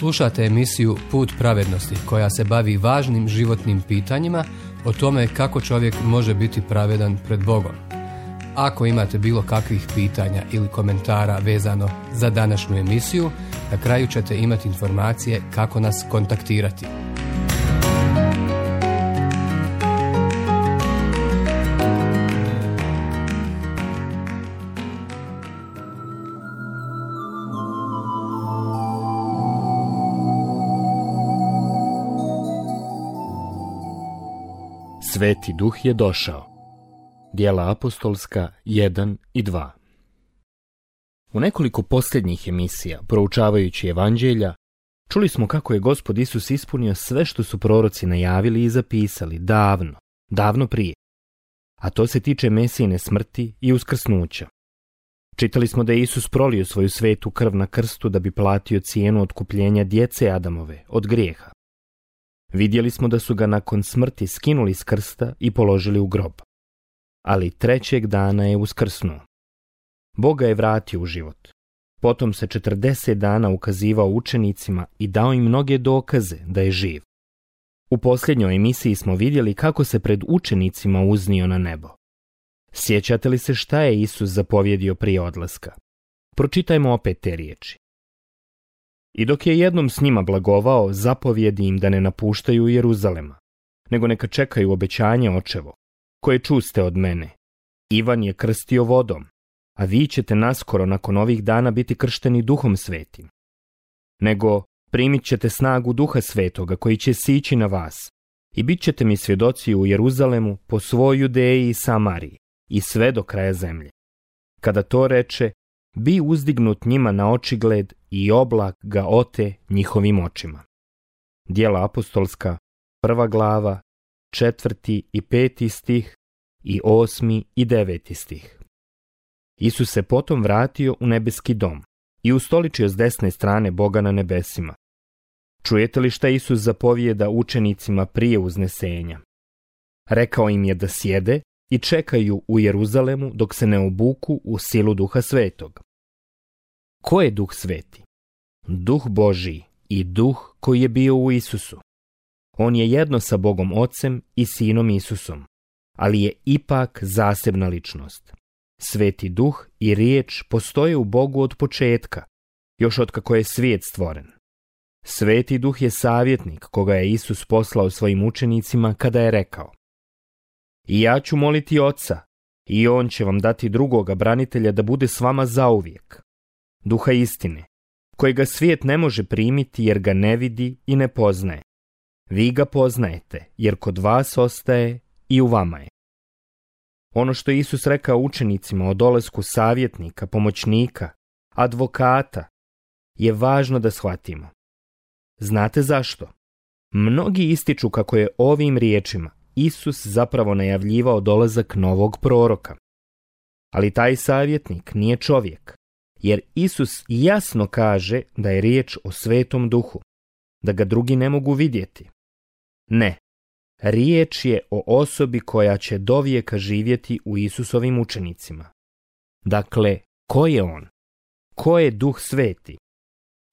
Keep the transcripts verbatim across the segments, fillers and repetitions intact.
Slušate emisiju Put pravednosti koja se bavi važnim životnim pitanjima o tome kako čovjek može biti pravedan pred Bogom. Ako imate bilo kakvih pitanja ili komentara vezano za današnju emisiju, na kraju ćete imati informacije kako nas kontaktirati. Sveti Duh je došao. Djela apostolska jedan i dva. U nekoliko posljednjih emisija, proučavajući evanđelja, čuli smo kako je Gospod Isus ispunio sve što su proroci najavili i zapisali davno, davno prije. A to se tiče Mesijine smrti i uskrsnuća. Čitali smo da je Isus prolio svoju svetu krv na krstu da bi platio cijenu otkupljenja djece Adamove od grijeha. Vidjeli smo da su ga nakon smrti skinuli s krsta i položili u grob. Ali trećeg dana je uskrsnuo. Bog ga je vratio u život. Potom se četrdeset dana ukazivao učenicima i dao im mnoge dokaze da je živ. U posljednjoj emisiji smo vidjeli kako se pred učenicima uznio na nebo. Sjećate li se šta je Isus zapovjedio prije odlaska? Pročitajmo opet te riječi. I dok je jednom s njima blagovao, zapovjedi im da ne napuštaju Jeruzalema, nego neka čekaju obećanje očevo, koje čuste od mene. Ivan je krstio vodom, a vi ćete naskoro nakon ovih dana biti kršteni Duhom Svetim. Nego primit ćete snagu Duha Svetoga koji će sići na vas i bit ćete mi svjedoci u Jeruzalemu, po svoj Judeji i Samariji i sve do kraja zemlje. Kada to reče, bi uzdignut njima na očigled i oblak ga ote njihovim očima. Djela apostolska, prva glava, četvrti i peti stih i osmi i deveti stih. Isus se potom vratio u nebeski dom i ustoličio s desne strane Boga na nebesima. Čujete li šta Isus zapovijeda učenicima prije uznesenja? Rekao im je da sjede i čekaju u Jeruzalemu dok se ne obuku u silu Duha Svetog. Ko je Duh Sveti? Duh Božiji i Duh koji je bio u Isusu. On je jedno sa Bogom Ocem i Sinom Isusom, ali je ipak zasebna ličnost. Sveti Duh i riječ postoje u Bogu od početka, još od kako je svijet stvoren. Sveti Duh je savjetnik koga je Isus poslao svojim učenicima kada je rekao: I ja ću moliti Oca, i On će vam dati drugoga branitelja da bude s vama zauvijek, Duha istine, kojega svijet ne može primiti jer ga ne vidi i ne poznaje. Vi ga poznajete, jer kod vas ostaje i u vama je. Ono što je Isus rekao učenicima o dolasku savjetnika, pomoćnika, advokata, je važno da shvatimo. Znate zašto? Mnogi ističu kako je ovim riječima Isus zapravo najavljivao dolazak novog proroka. Ali taj savjetnik nije čovjek, jer Isus jasno kaže da je riječ o Svetom Duhu, da ga drugi ne mogu vidjeti. Ne, riječ je o osobi koja će dovijeka živjeti u Isusovim učenicima. Dakle, ko je on? Ko je Duh Sveti?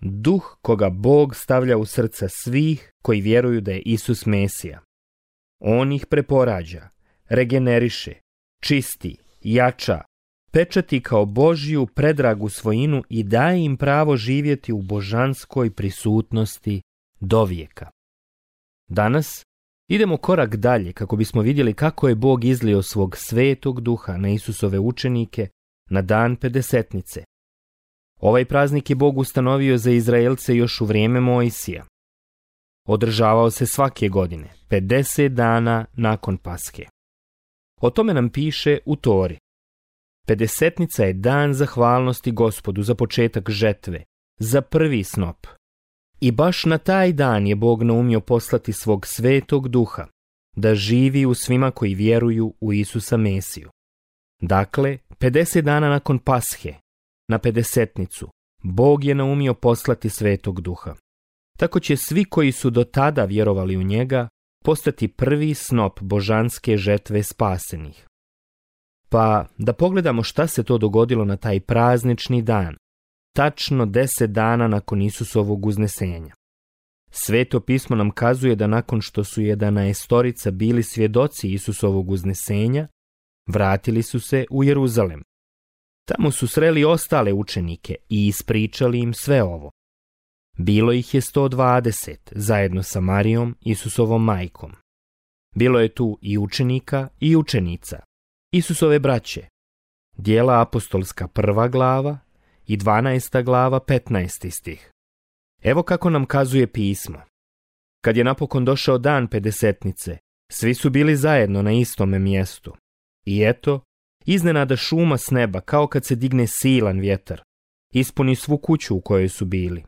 Duh koga Bog stavlja u srca svih koji vjeruju da je Isus Mesija. On ih preporađa, regeneriše, čisti, jača, pečati kao Božju predragu svojinu i daje im pravo živjeti u božanskoj prisutnosti dovijeka. Danas idemo korak dalje kako bismo vidjeli kako je Bog izlio svog Svetog Duha na Isusove učenike na dan Pedesetnice. Ovaj praznik je Bog ustanovio za Izraelce još u vrijeme Mojsija. Održavao se svake godine, pedeset dana nakon Paske. O tome nam piše u Tori. Pedesetnica je dan zahvalnosti Gospodu za početak žetve, za prvi snop. I baš na taj dan je Bog naumio poslati svog Svetog Duha, da živi u svima koji vjeruju u Isusa Mesiju. Dakle, pedeset dana nakon Pashe, na Pedesetnicu, Bog je naumio poslati Svetog Duha. Tako će svi koji su do tada vjerovali u njega postati prvi snop božanske žetve spasenih. Pa da pogledamo šta se to dogodilo na taj praznični dan, tačno deset dana nakon Isusovog uznesenja. Sveto pismo nam kazuje da nakon što su jedanaestorica bili svjedoci Isusovog uznesenja, vratili su se u Jeruzalem. Tamo su sreli ostale učenike i ispričali im sve ovo. Bilo ih je sto dvadeset, zajedno sa Marijom, Isusovom majkom. Bilo je tu i učenika i učenica, Isusove braće. Djela apostolska prva glava i dvanaesta glava petnaesti stih. Evo kako nam kazuje pismo. Kad je napokon došao dan pedesetnice, svi su bili zajedno na istome mjestu. I eto, iznenada šuma s neba, kao kad se digne silan vjetar, ispuni svu kuću u kojoj su bili.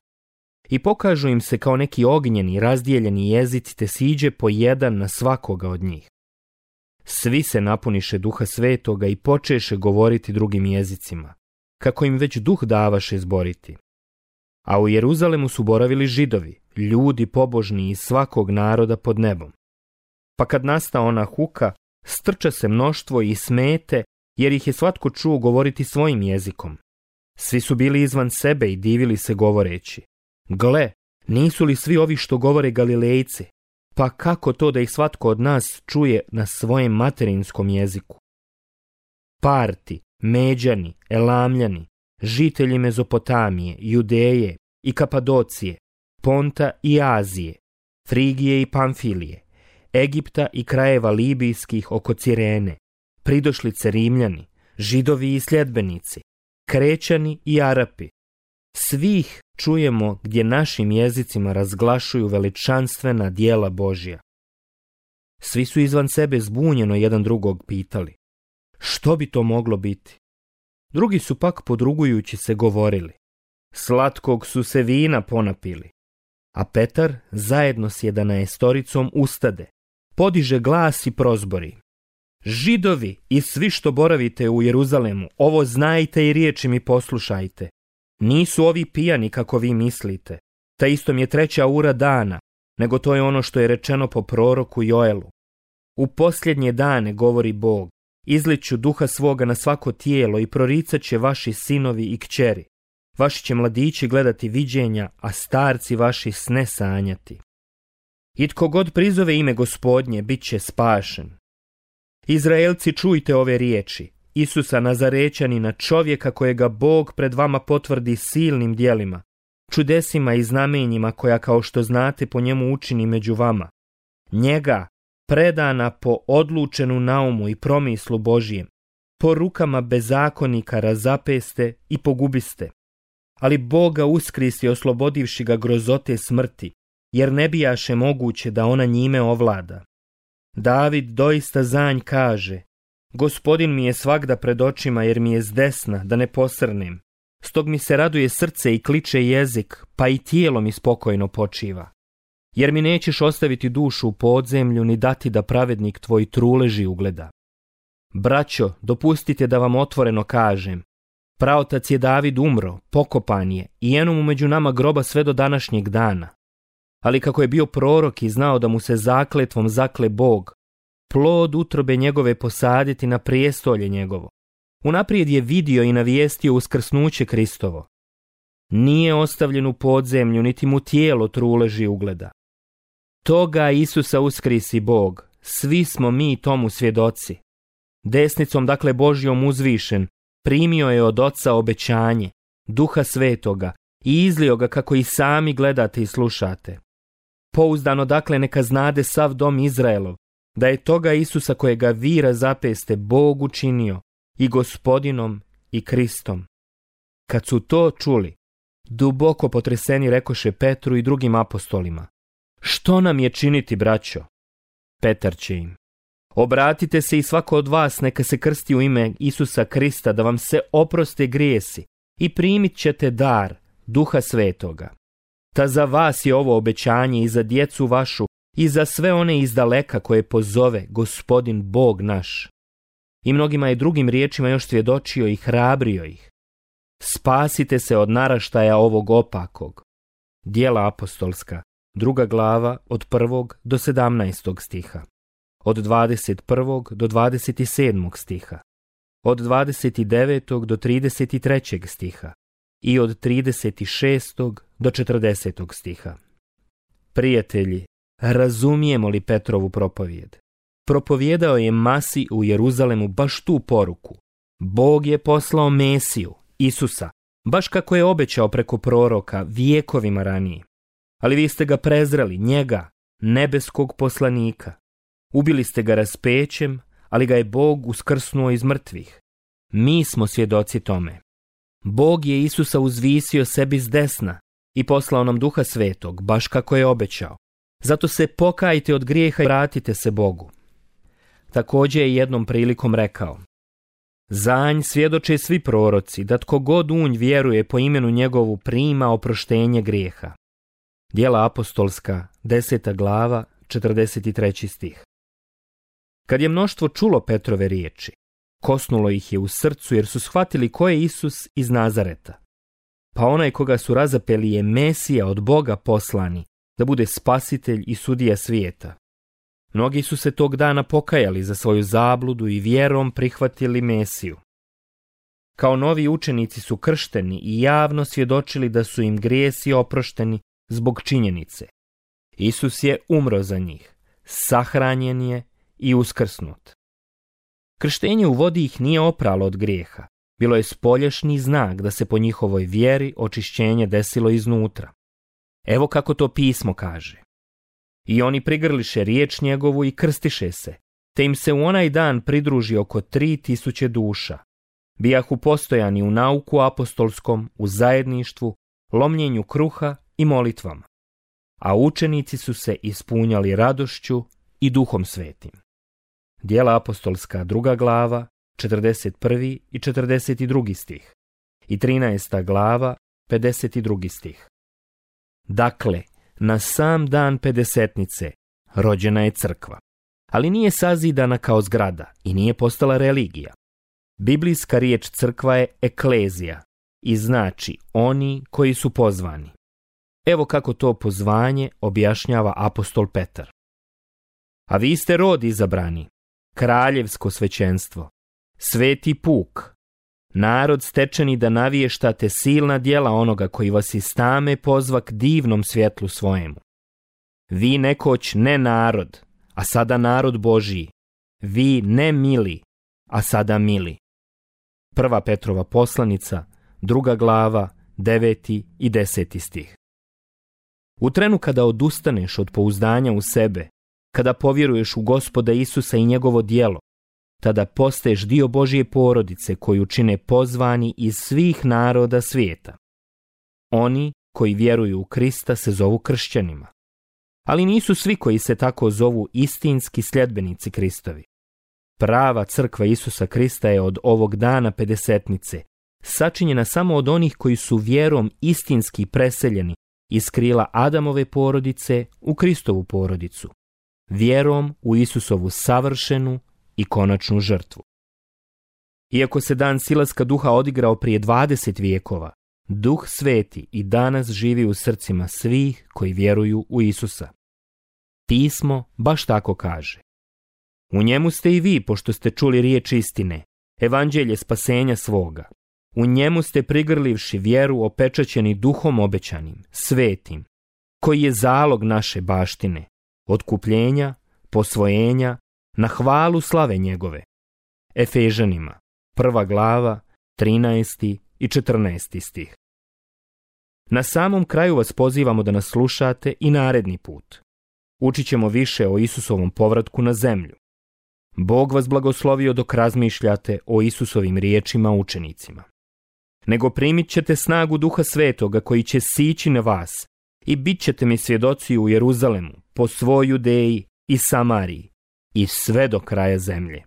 I pokažu im se kao neki ognjeni, razdijeljeni jezici, te siđe po jedan na svakoga od njih. Svi se napuniše Duha Svetoga i počeše govoriti drugim jezicima, kako im već Duh davaše zboriti. A u Jeruzalemu su boravili Židovi, ljudi pobožni iz svakog naroda pod nebom. Pa kad nasta ona huka, strča se mnoštvo i smete, jer ih je svatko čuo govoriti svojim jezikom. Svi su bili izvan sebe i divili se govoreći: gle, nisu li svi ovi što govore Galilejci? Pa kako to da ih svatko od nas čuje na svojem materinskom jeziku? Parti, Međani, Elamljani, žitelji Mezopotamije, Judeje i Kapadocije, Ponta i Azije, Frigije i Pamfilije, Egipta i krajeva libijskih oko Cirene, pridošlice Rimljani, Židovi i sljedbenici, Krećani i Arapi. Svih čujemo gdje našim jezicima razglašuju veličanstvena djela Božja. Svi su izvan sebe zbunjeno jedan drugog pitali: što bi to moglo biti? Drugi su pak podrugujući se govorili: slatkog su se vina ponapili. A Petar zajedno s jedanaestoricom ustade, podiže glas i prozbori: Židovi i svi što boravite u Jeruzalemu, ovo znajte i riječi mi poslušajte. Nisu ovi pijani kako vi mislite, ta istom je treća ura dana, nego to je ono što je rečeno po proroku Joelu. U posljednje dane, govori Bog, izliću duha svoga na svako tijelo i proricat će vaši sinovi i kćeri. Vaši će mladići gledati viđenja, a starci vaši sne sanjati. I tko god prizove ime Gospodnje, bit će spašen. Izraelci, čujte ove riječi: Isusa Nazarećanina, čovjeka kojega Bog pred vama potvrdi silnim djelima, čudesima i znamenjima koja, kao što znate, po njemu učini među vama. Njega, predana po odlučenu naumu i promislu Božijem, po rukama bezakonika razapeste i pogubiste. Ali Boga uskrisi, oslobodivši ga grozote smrti, jer ne bijaše moguće da ona njime ovlada. David doista zanj kaže: Gospodin mi je svagda pred očima, jer mi je zdesna, da ne posrnem. Stog mi se raduje srce i kliče jezik, pa i tijelo mi spokojno počiva. Jer mi nećeš ostaviti dušu u podzemlju, ni dati da pravednik tvoj truleži ugleda. Braćo, dopustite da vam otvoreno kažem: praotac je David umro, pokopan je, i eno mu među nama groba sve do današnjeg dana. Ali kako je bio prorok i znao da mu se zakletvom zakle Bog, plod utrobe njegove posaditi na prijestolje njegovo, unaprijed je vidio i navijestio uskrsnuće Kristovo. Nije ostavljen u podzemlju, niti mu tijelo truleži ugleda. Toga Isusa uskrisi Bog, svi smo mi tomu svjedoci. Desnicom, dakle Božjom uzvišen, primio je od Oca obećanje, Duha Svetoga, i izlio ga kako i sami gledate i slušate. Pouzdano dakle neka znade sav dom Izraelov, da je toga Isusa kojega vi razapeste Bog učinio i Gospodinom i Kristom. Kad su to čuli, duboko potreseni rekoše Petru i drugim apostolima: što nam je činiti, braćo? Petar će im: obratite se i svako od vas neka se krsti u ime Isusa Krista, da vam se oproste grijesi, i primit ćete dar Duha Svetoga. Ta za vas je ovo obećanje i za djecu vašu i za sve one izdaleka koje pozove Gospodin Bog naš. I mnogima je drugim riječima još svjedočio i hrabrio ih: spasite se od naraštaja ovog opakog. Djela apostolska, druga glava, od prvog do sedamnaestog stiha, od dvadeset prvog do dvadeset sedmog stiha, od dvadeset devetog do trideset trećeg stiha i od trideset šestog do četrdesetog stiha. Prijatelji, razumijemo li Petrovu propovijed? Propovijedao je masi u Jeruzalemu baš tu poruku. Bog je poslao Mesiju, Isusa, baš kako je obećao preko proroka vijekovima ranije. Ali vi ste ga prezreli, njega, nebeskog poslanika. Ubili ste ga raspećem, ali ga je Bog uskrsnuo iz mrtvih. Mi smo svjedoci tome. Bog je Isusa uzvisio sebi s desna i poslao nam Duha Svetog, baš kako je obećao. Zato se pokajte od grijeha i vratite se Bogu. Također je jednom prilikom rekao: za nj svjedoče svi proroci, da tko god u nj vjeruje po imenu njegovu prima oproštenje grijeha. Djela apostolska, deseta glava, četrdeset treći stih. Kad je mnoštvo čulo Petrove riječi, kosnulo ih je u srcu jer su shvatili ko je Isus iz Nazareta. Pa onaj koga su razapeli je Mesija od Boga poslani, da bude spasitelj i sudija svijeta. Mnogi su se tog dana pokajali za svoju zabludu i vjerom prihvatili Mesiju. Kao novi učenici su kršteni i javno svjedočili da su im grijesi oprošteni zbog činjenice: Isus je umro za njih, sahranjen je i uskrsnut. Krštenje u vodi ih nije opralo od grijeha, bilo je spoljašnji znak da se po njihovoj vjeri očišćenje desilo iznutra. Evo kako to pismo kaže: i oni prigrliše riječ njegovu i krstiše se, te im se u onaj dan pridruži oko tri tisuće duša. Bijahu postojani u nauku apostolskom, u zajedništvu, lomljenju kruha i molitvama. A učenici su se ispunjali radošću i Duhom Svetim. Djela apostolska, druga glava, četrdeset prvi i četrdeset drugi stih i trinaesta glava, pedeset drugi stih. Dakle, na sam dan pedesetnice rođena je crkva, ali nije sazidana kao zgrada i nije postala religija. Biblijska riječ crkva je eklezija i znači oni koji su pozvani. Evo kako to pozvanje objašnjava apostol Petar. A vi ste rod izabrani, kraljevsko svećenstvo, sveti puk, narod stečeni da naviještate silna djela onoga koji vas iz tame pozva k divnom svjetlu svojemu. Vi nekoć ne narod, a sada narod Božiji. Vi ne mili, a sada mili. Prva Petrova poslanica, druga glava, deveti i deseti stih. U trenu kada odustaneš od pouzdanja u sebe, kada povjeruješ u Gospoda Isusa i njegovo djelo, tada postaješ dio Božje porodice koju čine pozvani iz svih naroda svijeta. Oni koji vjeruju u Krista se zovu kršćanima. Ali nisu svi koji se tako zovu istinski sljedbenici Kristovi. Prava crkva Isusa Krista je od ovog dana pedesetnice sačinjena samo od onih koji su vjerom istinski preseljeni iz krila Adamove porodice u Kristovu porodicu, vjerom u Isusovu savršenu i konačnu žrtvu. Iako se dan silaska duha odigrao prije dvadeset vijekova, Duh Sveti i danas živi u srcima svih koji vjeruju u Isusa. Pismo baš tako kaže: u njemu ste i vi, pošto ste čuli riječ istine, evanđelje spasenja svoga. U njemu ste prigrlivši vjeru opečaćeni duhom obećanim, svetim, koji je zalog naše baštine, otkupljenja, posvojenja, na hvalu slave njegove. Efežanima, prva glava, trinaesti i četrnaesti stih. Na samom kraju vas pozivamo da nas slušate i naredni put. Učit ćemo više o Isusovom povratku na zemlju. Bog vas blagoslovio dok razmišljate o Isusovim riječima učenicima. Nego primit ćete snagu Duha Svetoga koji će sići na vas i bit ćete mi svjedoci u Jeruzalemu, po svoj Judeji i Samariji i sve do kraja zemlje.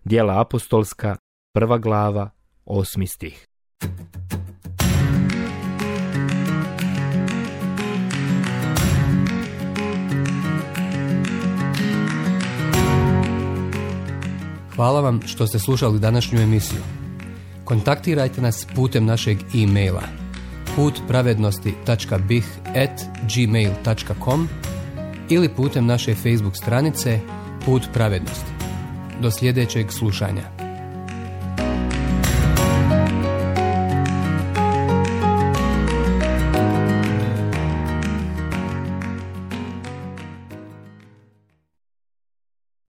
Djela apostolska, prva glava, osmi stih. Hvala vam što ste slušali današnju emisiju. Kontaktirajte nas putem našeg e-maila put pravednosti tačka b i h at gmail tačka com ili putem naše Facebook stranice Put pravednosti. Do sljedećeg slušanja.